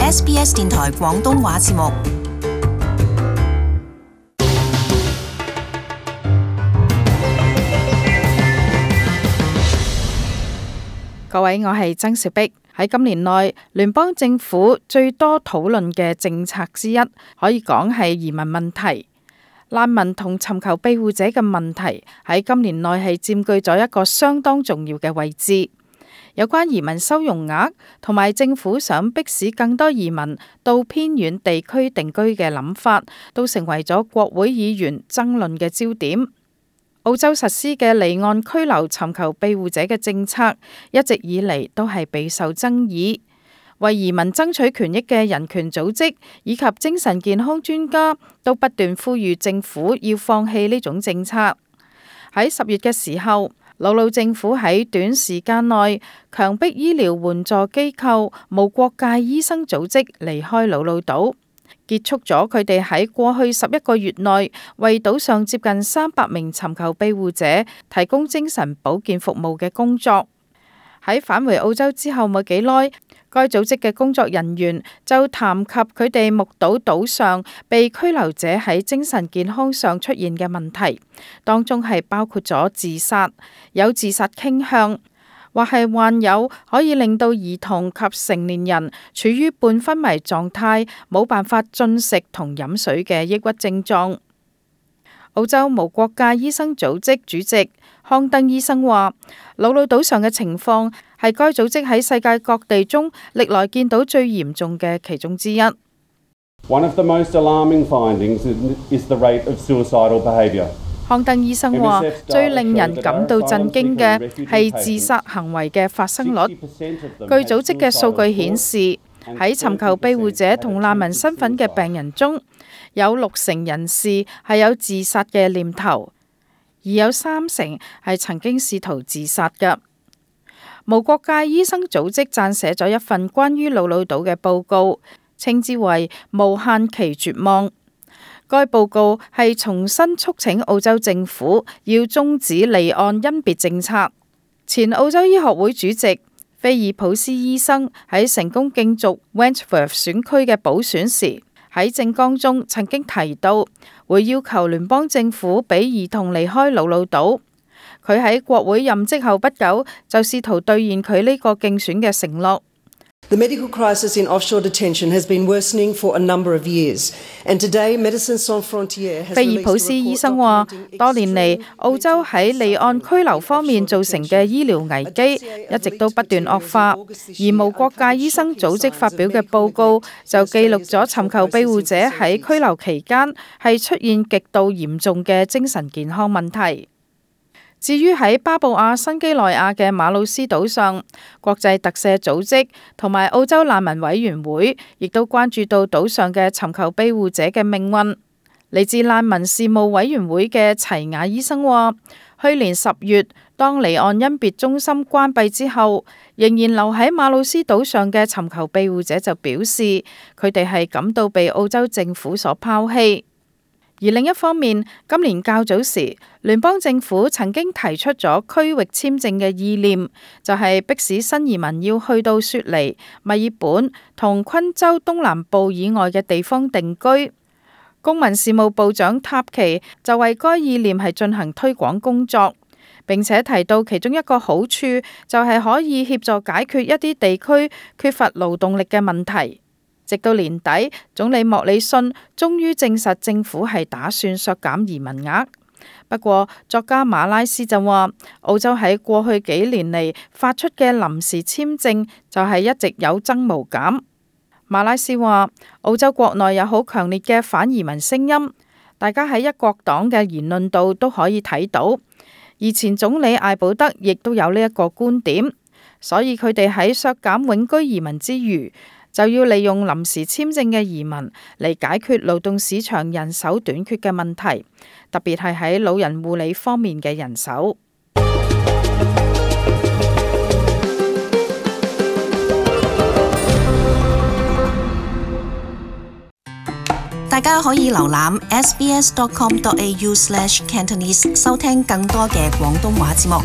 SBS 電台廣東話節目。各位，我係曾兆碧。喺今年內，聯邦政府最多討論嘅政策之一，可以講係移民問題。難民同尋求庇護者嘅問題喺今年內係佔據咗一個相當重要嘅位置。有關移民收容額同埋政府想迫使更多移民到偏遠地區定居嘅諗法，都成為咗國會議員爭論嘅焦點。澳洲實施嘅離岸拘留尋求庇護者嘅政策，一直以嚟都係備受爭議。為移民爭取權益嘅人權組織以及精神健康專家都不斷呼籲政府要放棄呢種政策。喺10月嘅時候，瑙魯政府喺短時間內強迫醫療援助機構無國界醫生組織離開瑙魯島，結束咗佢哋喺過去11個月內為島上接近300名尋求庇護者提供精神保健服務嘅工作。喺返回澳洲之後冇幾耐，該組織嘅工作人員就談及佢哋目睹島上被拘留者喺精神健康上出現嘅問題，當中係包括咗自殺、有自殺傾向，或係患有可以令到兒童及成年人處於半昏迷狀態，冇辦法進食同飲水嘅抑鬱症狀。澳洲無國界醫生組織主席康登醫生話，瑙魯島上嘅情況係該組織喺世界各地中歷來見到最嚴重嘅其中之一。One of the most alarming findings is the rate of suicidal behaviour. 康登醫生話，最令人感到震驚嘅係自殺行為嘅發生率。據組織嘅數據顯示，喺尋求庇護者同難民身份嘅病人中，有60%人士係有自殺嘅念頭，而有30%係曾經試圖自殺嘅。無國界醫生組織撰寫咗一份關於瑙魯島嘅報告，稱之為無限期絕望。該報告係重新促請澳洲政府要終止離岸甄別政策。前澳洲醫學會主席菲爾普斯醫生喺成功競逐 Wentworth 選區嘅補選時，喺政綱中曾經提到會要求聯邦政府俾兒童離開瑙魯島。佢喺國會任職後不久就試圖兌現佢呢個競選嘅承諾。The medical crisis in offshore detention has been worsening for a number of years, and today Medicine Sans Frontières has released a report documenting 菲爾普斯醫生話，多年嚟澳洲喺離岸拘留方面造成嘅醫療危機一直都不斷惡化，而無國界醫生組織發表嘅報告就記錄咗尋求庇護者喺拘留期間係出現極度嚴重嘅精神健康問題。至於喺巴布亞新幾內亞嘅馬魯斯島上，國際特赦組織同埋澳洲難民委員會亦都關注到島上嘅尋求庇護者嘅命運。嚟自難民事務委員會嘅齊雅醫生話，去年10月當離岸甄別中心關閉之後，仍然留喺馬魯斯島上嘅尋求庇護者就表示，佢哋係感到被澳洲政府所拋棄。而另一方面，今年較早時，聯邦政府曾經提出咗區域簽證嘅意念，就係迫使新移民要去到雪梨、墨爾本同昆州東南部以外嘅地方定居。公民事務部長塔奇就為該意念係進行推廣工作，並且提到其中一個好處就係可以協助解決一啲地區缺乏勞動力嘅問題。直到年底，總理莫里遜終於證實政府係打算削減移民額。不過，作家馬拉斯就話，澳洲喺過去幾年嚟發出嘅臨時簽證就係一直有增無減。馬拉斯話，澳洲國內有好強烈嘅反移民聲音，大家喺一國黨嘅言論度都可以睇到。而前總理艾保德亦都有呢一個觀點，所以佢哋喺削減永居移民之餘，就要利用臨時簽證嘅移民嚟解決勞動市場人手短缺嘅問題，特別係喺老人護理方面嘅人手。大家可以瀏覽 sbs.com.au/Cantonese 收聽更多嘅廣東話節目。